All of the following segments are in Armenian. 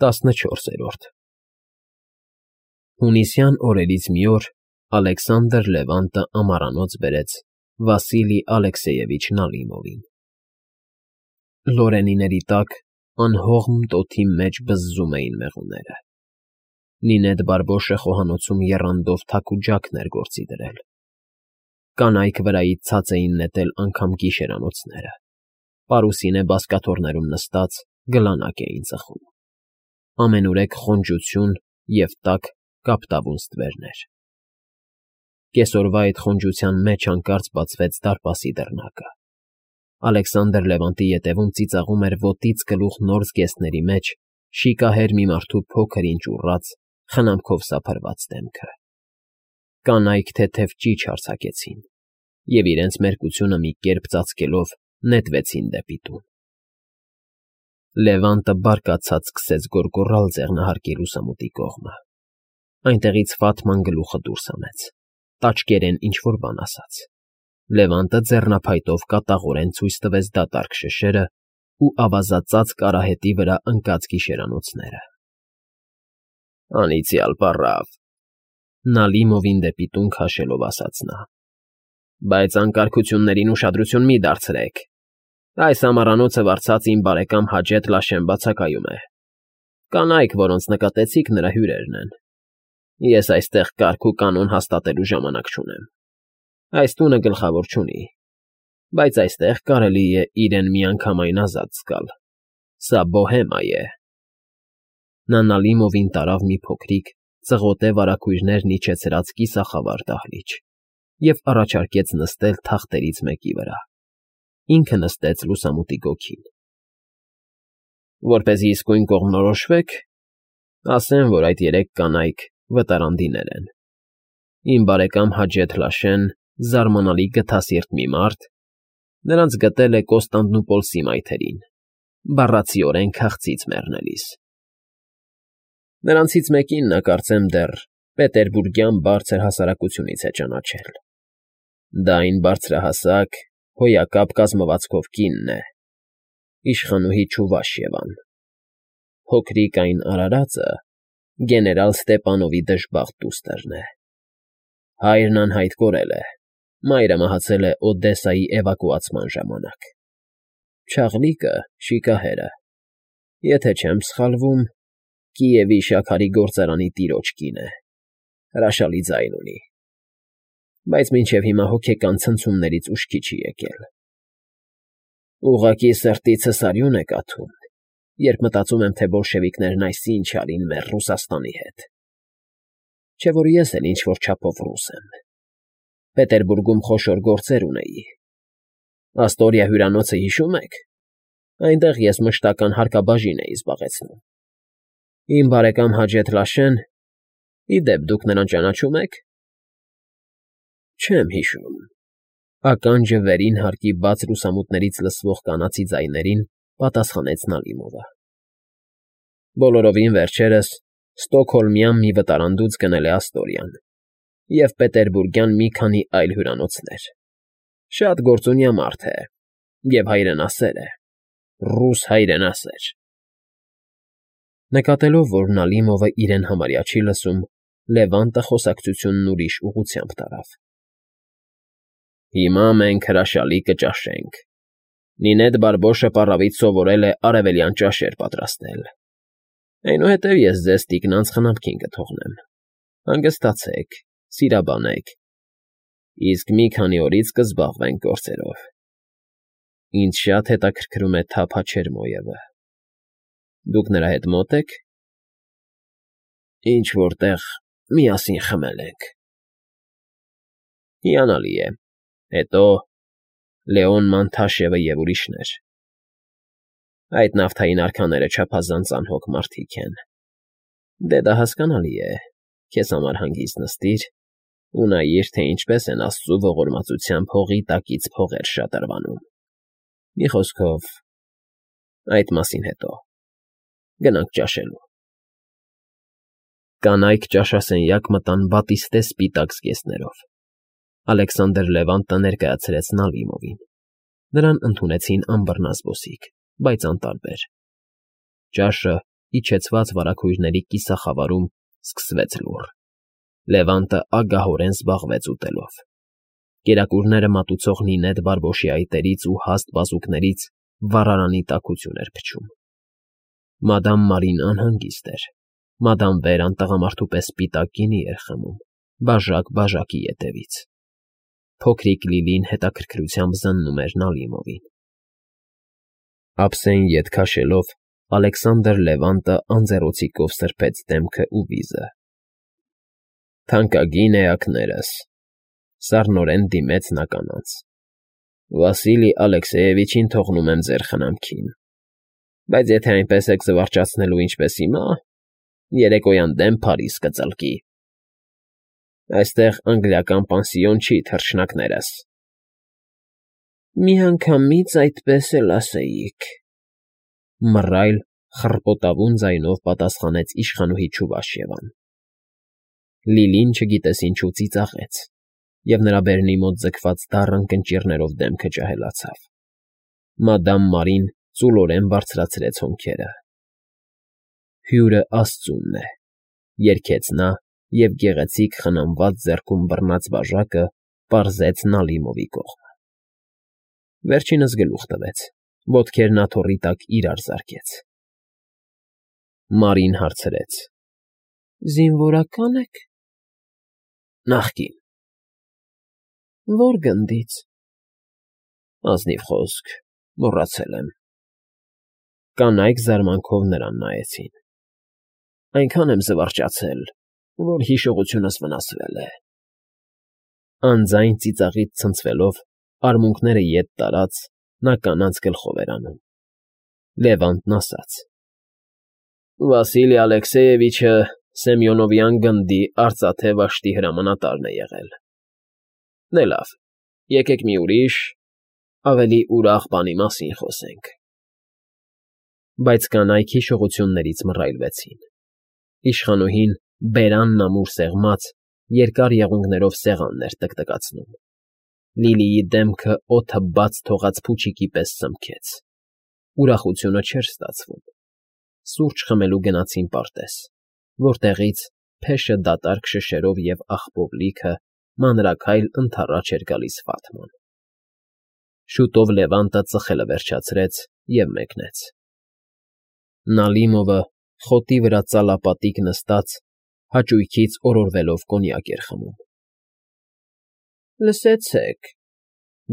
14 Հունիսյան օրերից մի օր Ալեքսանդր Լևանտը ամառանոց բերեց Վասիլի Ալեքսեևիչ Նալիմովին։ Լորենիների տակ անհողմ տոթի մեջ բզզում էին մեղուները։ Նինեդ Բարբոշը խոհանոցում եռանդով թաքուջակն էր գործի դրել։ Կանայք վրայից ցած էին նետել անգամ գիշերանոցները։ Պարուսինե բազկաթոռներում նստած գլանակ էին ծխում։ Ամենուրեք խոնջություն և տաք կապտավուն ստվերներ։ Կեսօրվա այդ խոնջության մեջ հանկարծ բացվեց դարպասի դռնակը։ Ալեքսանդր Լևանտի ետևում ծիծաղում էր ոտից գլուխ նոր զգեստների մեջ շիկահեր մի մարդու փոքր-ինչ ուռած, խնամքով սափրված դեմքը։ Կանայք թեթև ճիչ արձակեցին և իրենց մերկությունը մի կերպ ծածկելով նետվեցին դեպի տուն։ Լևանտը բարկացած սկսեց գոռգոռալ ձեղնահարկի լուսամուտի կողմը։ Այնտեղից Ֆաթման գլուխը դուրս հանեց, տաճկերեն ինչ֊որ բան ասաց։ Լևանտը ձեռնափայտով կատաղորեն ցույց տվեց դատարկ շշերը ու ավազածածկ արահետի վրա ընկած գիշերանոցները։ Անիծյալ պառավ, Նալիմովին դեպի տուն քաշելով ասաց նա։ Բայց անկարգություններին ուշադրություն մի դարձրեք։ Այս ամառանոցը վարձած իմ բարեկամ Հաջեթ Լաշեն բացակայում է։ Կանայք, որոնց նկատեցիք, նրա հյուրերն են։ Ես այստեղ կարգ ու կանոն հաստատելու ժամանակ չունեմ։ Այս տունը գլխավոր չունի, բայց այստեղ կարելի է իրեն միանգամայն ազատ զգալ։ Սա բոհեմա է։ Նա Նալիմովին տարավ մի փոքրիկ, ծղոտե վարագույրներն իջեցրած կիսախավար դահլիճ և առաջարկեց նստել թախտերից մեկի վրա։ Ինքը նստեց լուսամուտի գոգին։ Որպեսզի իսկույն կողմնորոշվեք, ասեմ, որ այդ երեք կանայք վտարանդիներ են։ Իմ բարեկամ Հաջեթ Լաշեն զարմանալի գթասիրտ մի մարդ, նրանց գտել է Կոստանդնուպոլսի մայթերին, բառացիորեն քաղցից մեռնելիս։ Նրանցից մեկին նա, կարծեմ, դեռ պետերբուրգյան բարձր հասարակությունից է ճանաչել։ Դա այն բարձրահասակ, հոյակապ կազմվածքով կինն է, իշխանուհի Չուվաշիևան։ Փոքրիկ այն արարածը գեներալ Ստեպանովի դժբախտ դուստրն է։ Հայրն անհայտ կորել է, մայրը մահացել է Օդեսայի էվակուացման ժամանակ։ Չաղլիկը, շիկահերը, եթե չեմ սխալվում, Կիևի շաքարի գործարանի տիրոջ կին է, հրաշալի ձայն ունի, բայց մինչև հիմա հոգեկան ցնցումներից ուշքի չի եկել։ Ուղղակի սրտիցս արյուն է կաթում, երբ մտածում եմ, թե բոլշևիկներն այս ինչ արին մեր Ռուսաստանի հետ։ Չէ՞ որ ես էլ ինչ֊որ չափով ռուս եմ։ Պետերբուրգում խոշոր գործեր ունեի։ Աստորիա հյուրանոցը հիշում եք։ Այնտեղ ես մշտական հարկաբաժին էի զբաղեցնում։ Իմ բարեկամ Հաջեթ Լաշեն, ի դեպ դուք նրան ճանաչում եք։ Չեմ հիշում։ Ականջը վերին հարկի բաց լուսամուտներից լսվող կանացի ձայներին պատասխանեց Նալիմովը։ Բոլորովին վերջերս ստոկհոլմյան մի վտարանդուց գնել է Աստորիան և պետերբուրգյան մի քանի այլ հյուրանոցներ։ Շատ գործունյա մարդ է և հայրենասեր է, ռուս հայրենասեր։ Նկատելով, որ Նալիմովը իրեն համարյա չի լսում, Լևանտը խոսակցությունն ուրիշ ուղղությամբ տարավ։ Հիմա մենք հրաշալի կճաշենք։ Նինեդ Բարբոշը պառավից սովորել է արևելյան ճաշեր պատրաստել։ Այնուհետև ես ձեզ տիկնանց խնամքին կթողնեմ։ Հանգստացեք, սիրաբանեք։ Իսկ մի քանի օրից կզբաղվենք գործերով։ Ինձ շատ հետաքրքրում է թափ Հաչերմոյևը։ Դուք նրա հետ մոտ եք։ Ինչ֊որ տեղ միասին խմել ենք։ Հիանալի է։ Հետո Լեոն Մանթաշևը և ուրիշներ։ Այդ նավթային արքաները չափազանց անհոգ մարդիկ են։ Դե դա հասկանալի է, քեզ համար հանգիստ նստիր ու նայիր, թե ինչպես են աստծու ողորմածությամբ հողի տակից փողեր շատրվանում։ Մի խոսքով, այդ մասին հետո։ Գնանք ճաշելու։ Կանայք ճաշասենյակ մտան բատիստե սպիտակ զգեստներով։ Ալեքսանդր Լևանտը ներկայացրեց Նալիմովին։ Նրան ընդունեցին անբռնազբոսիկ, բայց անտարբեր։ Ճաշը իջեցված վարագույրների կիսախավարում սկսվեց լուռ։ Լևանտը ագահորեն զբաղվեց ուտելով։ Կերակուրները մատուցող նինեդ բարբոշի այտերից ու հաստ բազուկներից վառարանի տաքություն էր փչում։ Մադամ Մարին անհանգիստ էր։ Մադամ Վերան տղամարդու պես սպիտակ գինի էր խմում, բաժակ բաժակի ետևից։ Փոքրիկ Լիլին հետաքրքրությամբ զննում էր Նալիմովին։ Ափսեին ետ քաշելով Ալեքսանդր Լևանտը անձեռոցիկով սրբեց դեմքը ու վիզը։ Թանկագին էակներս, սառնորեն դիմեց նա կանանց։ Վասիլի Ալեքսեևիչին թողնում եմ ձեր խնամքին, բայց եթե այնպես եք զվարճացնելու ինչպես հիմա, երեկոյան դեմ Փարիզ կծլկի։ Այստեղ անգլիական պանսիոն չի, թռչնակներս։ Միանգամից այդպես էլ ասեիք, մռայլ խռպոտավուն ձայնով պատասխանեց իշխանուհի Չուվաշևան։ Լիլին չգիտես ինչու ծիծաղեց, և նրա բերնի մոտ ձգված դառն կնճիռներով դեմքը ջահելացավ։ Մադամ Մարին ծուլորեն բարձրացրեց հոնքերը։ Հյուրը աստծունն է, երգեց նա և գեղեցիկ խնամված ձեռքում բռնած բաժակը պարզեց Նալիմովի կողմը։ Վերջինս գլուխ տվեց, ոտքերն աթոռի տակ իրար զարկեց։ Մարին հարցրեց. Զինվորակա՞ն եք։ Նախկին։ Ո՞ր գնդից։ Ազնիվ խոսք, մոռացել եմ։ Կանայք զարմանքով նրան նայեցին։ Այնքան եմ զվարճացել, որ հիշողությունս վնասվել է։ Անձայն ծիծաղից ցնցվելով, արմունկները ետ տարած, նա կանանց գլխով էր անում։ Լևանտն ասաց. Վասիլի Ալեքսեևիչը Սեմյոնովյան գնդի արծաթե վաշտի հրամանատարն է եղել։ Դե լավ, եկեք մի ուրիշ, ավելի ուրախ բանի մասին խոսենք։ Բայց կանայք հիշողություններից մռայլվեցին։ Իշխանուհին բերանն ամուր սեղմած, երկար եղունգներով սեղանն էր տկտկացնում։ Լիլիի դեմքը օդը բաց թողած փուչիկի պես սմքեց։ Ուրախությունը չէր ստացվում։ Սուրճ խմելու գնացին պարտեզ, որտեղից փեշը դատարկ շշերով և աղբով լիքը մանրաքայլ ընդառաջ էր գալիս Ֆաթման։ Շուտով Լևանտը ծխելը վերջացրեց և մեկնեց։ Նալիմովը խոտի վրա ծալապատիկ նստած, հաճույքից օրորվելով կոնյակ էր խմում։ Լսեցեք,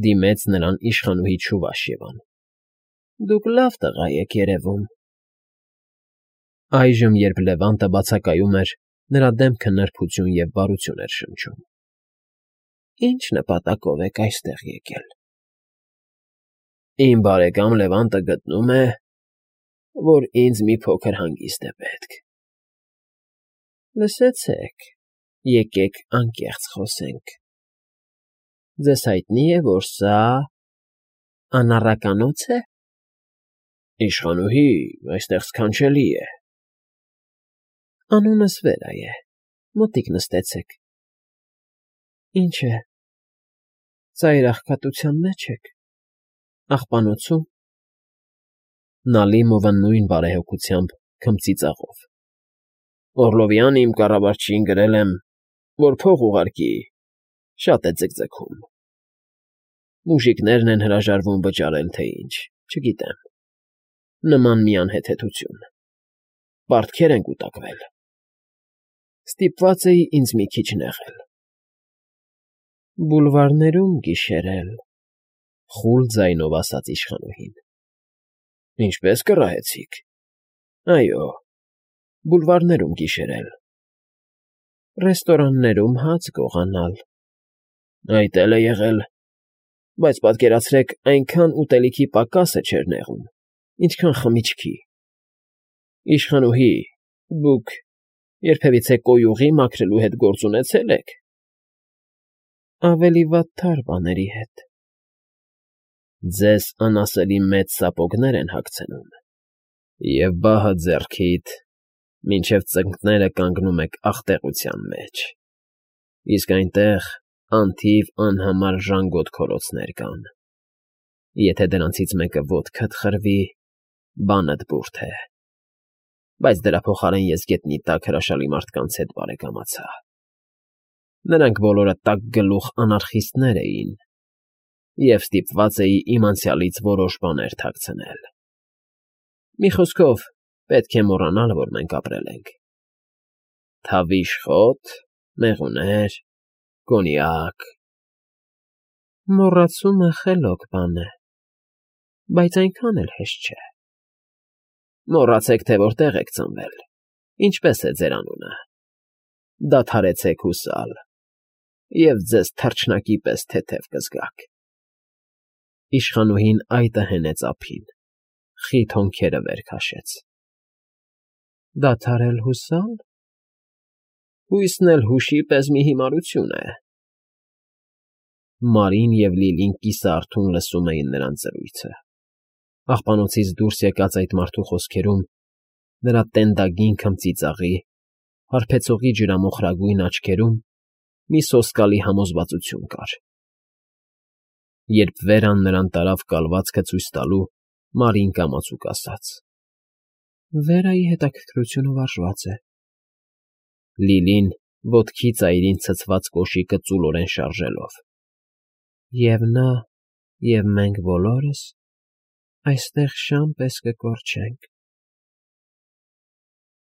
դիմեց նրան իշխանուհի Չուվաշևան, դուք լավ տղա եք երևում։ Այժմ, երբ Լևանտը բացակայում էր, նրա դեմքը նրբություն և բարություն էր շնչում։ Ինչ նպատակով եք այստեղ եկել։ Իմ բարեկամ Լևանտը գտնում է, որ ինձ մի փոքր հանգիստ է պետք։ Լսեցեք, եկեք անկեղծ խոսենք։ Ձեզ հայտնի է, որ սա անառականոց է։ Իշխանուհի, այստեղ սքանչելի է։ Անունս Վերա է, մոտիկ նստեցեք։ Ինչ է, ծայրահեղաթության մեջ եք, աղբանոցում։ Նալիմովը նույն բարեհոգությամբ քմծիծաղով։ Օռլովյան իմ կառավարչին գրել եմ, որ փող ուղարկի, շատ է ձգձգում։ Մուժիկներն են հրաժարվում վճարել, թե ինչ, չգիտեմ։ Նման մի անհեթեթություն։ Պարտքեր են կուտակվել։ Ստիպված էի ինձ մի քիչ նեղել։ Բուլվարներում գիշերել, խուլ ձայնով ասաց իշխանուհին։ Ինչպես կռահեցիք։ Այո, բուլվարներում գիշերել։ Ռեստորաններում հաց գողանալ։ Այդ էլ է եղել, բայց պատկերացրեք, այնքան ուտելիքի պակասը չէր նեղում, ինչքան խմիչքի։ Իշխանուհի, դուք երբևիցե կոյուղի մաքրելու հետ գործ ունեցե՞լ եք։ Ավելի վատթար բաների հետ։ Ձեզ անասելի մեծ սապոգներ են հագցնում, և բահը ձեռքիդ, մինչև ծնկները կանգնում եք աղտեղության մեջ, իսկ այնտեղ անթիվ անհամար ժանգոտ քորոցներ կան։ Եթե դրանցից մեկը ոտքդ խրվի, բանդ բուրդ է։ բայց դրա փոխարեն ես գետնի տակ հրաշալի մարդկանց հետ բարեկամացա։ Նրանք բոլորը տակգլուխ անարխիստներ էին, և ստիպված էի իմ անցյալից որոշ բաներ թաքցնել։ Մի խոսքով, պետք է մոռանալ, որ մենք ապրել ենք։ Թավիշ խոտ, մեղուներ, կոնյակ… Մոռացումը խելոք բան է, բայց այնքան էլ հեշտ չէ։ Մոռացեք, թե որտեղ եք ծնվել, ինչպես է ձեր անունը, դադարեցեք հուսալ, և ձեզ թռչնակի պես թեթև կզգաք… Իշխանուհին այտը հենեց ափին, խիտ հոնքերը վեր քաշեց։ Դադարել հուսալ… Հույսն էլ հուշի պես մի հիմարություն է… Մարին և Լիլին կիսարթուն լսում էին նրանց զրույցը։ Աղբանոցից դուրս եկած այդ մարդու խոսքերում, նրա տենդագին քմծիծաղի, հարբեցողի ջրամոխրագույն աչքերում մի սոսկալի համոզվածություն կար։ Երբ Վերան նրան տարավ կալվածքը ցույց տալու, Մարին կամացուկ ասաց. Վերայի հետաքրքրությունը վարժված է։ Լիլին ոտքի ծայրին ցցված կոշիկը ծուլորեն շարժելով։ Եվ նա, և մենք բոլորս այստեղ շան պես կկորչենք։